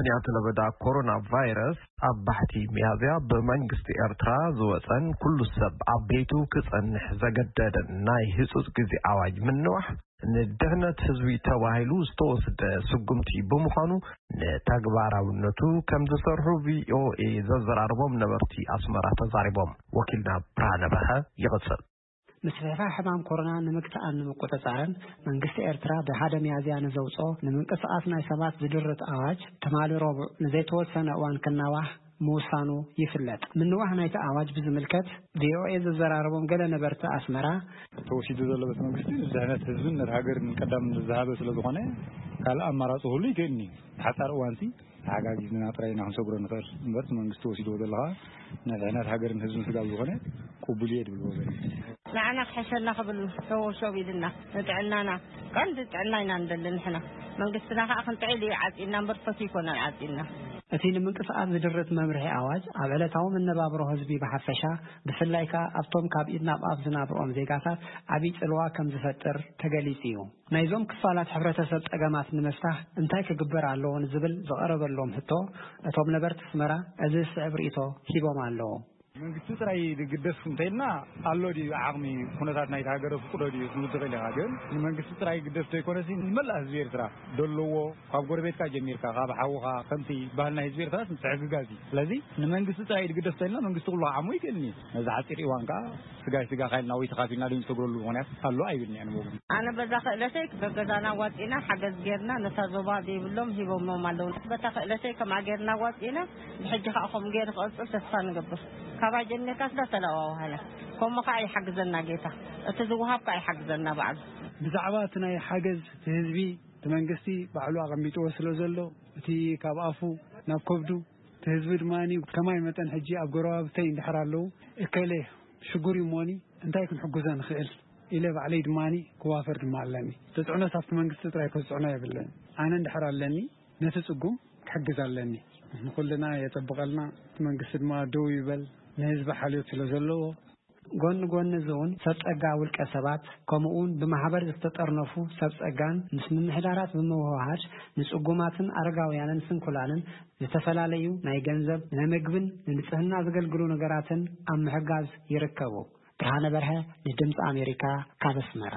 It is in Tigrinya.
ምኽንያት ለበዳ ኮሮና ቫይረስ ኣብ ባሕቲ ሚያዝያ ብመንግስቲ ኤርትራ ዝወጸን ኩሉ ሰብ ኣብ ቤቱ ክጸንሕ ዘገደደን ናይ ህጹጽ ግዜ ኣዋጅ ምንዋሕ ንድሕነት ህዝቢ ተባሂሉ ዝተወስደ ስጉምቲ ብምዃኑ ንተግባራውነቱ ከም ዝሰርሑ ቪኦኤ ዘዘራርቦም ነበርቲ ኣስመራ ተዛሪቦም። ወኪልና ብርሃነ በርሀ ይቕጽል። ምስፍሕፋሕ ሕማም ኮሮና ንምግታኣን ንምቁጽጻርን መንግስቲ ኤርትራ ብሓደ ሚያዝያ ንዘውጽኦ ንምንቅስቓስ ናይ ሰባት ዝድርት ኣዋጅ ትማሊ ረቡዕ ንዘይተወሰነ እዋን ክናዋሕ ምውሳኑ ይፍለጥ። ምንዋሕ ናይቲ ኣዋጅ ብዝምልከት ቪኦኤ ዘዘራረቦም ገለ ነበርቲ ኣስመራ፣ ተወሲዱ ዘሎ በቲ መንግስቲ ንድሕነት ህዝብን ነቲ ሃገርን ቀዳም ዝሃበ ስለ ዝኾነ ካልእ ኣማራፂ ክህሉ ይክእልኒ። ሓፃር እዋንሲ ተሓጋጊዝና ጥራይ ኢና ክንሰግሮ ንኽእል እምበር እቲ መንግስቲ ወሲድዎ ዘሎ ከዓ ንድሕነት ሃገርን ህዝብን ስጋብ ዝኾነ ቅቡል እየ ድብል ወገን። ንዓና ክሕሸና ክብል ሸወሸው ኢልና ንጥዕናና ቀንዲ ጥዕና ኢና ንደሊ ንሕና። መንግስትና ከዓ ክንጥዕል እዩ ዓፂና እምበር ፈትዩ ይኮነን ዓፂና። እቲ ንምንቅስቓስ ዝድርት መምርሒ ኣዋጅ ኣብ ዕለታዊ መነባብሮ ህዝቢ ብሓፈሻ ብፍላይ ከዓ ኣብቶም ካብ ኢድ ናብ ኣፍ ዝናብርኦም ዜጋታት ዓብዪ ፅልዋ ከም ዝፈጥር ተገሊፁ እዩ። ናይዞም ክፋላት ሕብረተሰብ ፀገማት ንምፍታሕ እንታይ ክግበር ኣለዎ ንዝብል ዝቐረበሎም ሕቶ እቶም ነበርቲ ኣስመራ እዚ ዝስዕብ ርእይቶ ሂቦም ኣለዉ። መንግስቲ ጥራይ ዝግደፍ እንተኢልና ኣሎ ድዩ ዓቕሚ ኩነታት ናይቲ ሃገር ፍቅዶ ድዩ ክንብል ትኽእል ኢኻ። ግን ንመንግስቲ ጥራይ ግደፍ ዘይኮነሲ ንመላእ ህዝቢ ኤርትራ ደለዎ ካብ ጎረቤትካ ጀሚርካ ካብ ሓውኻ ከምቲ ባህልና ህዝቢ ኤርትራ ምትሕግጋዝ እዩ። ስለዚ ንመንግስቲ ጥራይ ዝግደፍ እንተኢልና መንግስቲ ኩሉ ዓሞ ይክእልኒ ነዚ ሓፂር እዋን ከዓ ስጋይ ስጋ ካይልና ወይ ተኻፊልና ድንሰግረሉ ምኽንያት ኣሎ ኣይብልኒ ኣነ ብወገን። ኣነ በዛ ክእለተይ በገዛና ዋፂና ሓገዝ ጌርና ነታ ዞባ ዘይብሎም ሂቦሞም ኣለዉ። በታ ክእለተይ ከምኣ ጌርና ዋፂና ብሕጂ ከዓ ከምኡ ጌር ክቐፅል ተስፋ ንገብር። ካባይ ጀሚርካ ስዳ ተለዋዋሃለ ከምኡ ከዓ ይሓግዘና ጌታ። እቲ ዝወሃብ ከዓ ይሓግዘና ባዕሉ። ብዛዕባ እቲ ናይ ሓገዝ እቲ ህዝቢ እቲ መንግስቲ ባዕሉ ኣቐሚጥዎ ስለ ዘሎ እቲ ካብ ኣፉ ናብ ከብዱ እቲ ህዝቢ ድማ ከማይ መጠን ሕጂ ኣብ ጎረባብተይ እንድሕር ኣለዉ እከለ ሽጉር እዩ እሞኒ እንታይ ክንሕግዞ ንኽእል ኢለ ባዕለይ ድማ ክዋፈር ድማ ኣለኒ። ተፅዕኖ ኣብቲ መንግስቲ ጥራይ ከፅዕኖ የብለን። ኣነ እንድሕር ኣለኒ ነቲ ፅጉም ክሕግዝ ኣለኒ። ንኩልና የፀብቐልና እቲ መንግስቲ ድማ ደው ይበል ንህዝቢ ሓልዮት ስለ ዘለዎ። ጎኒ ጎኒ እዚ እውን ሰብ ፀጋ ውልቀ ሰባት ከምኡ እውን ብማሕበር ዝተጠርነፉ ሰብ ፀጋን ምስ ምምሕዳራት ብምውህሃድ ንፅጉማትን ኣረጋውያንን ስንኩላንን ዝተፈላለዩ ናይ ገንዘብ፣ ናይ ምግብን ንንፅህና ዘገልግሉ ነገራትን ኣብ ምሕጋዝ ይርከቡ። ብርሃነ በርሀ ንድምፂ ኣሜሪካ ካብ ኣስመራ።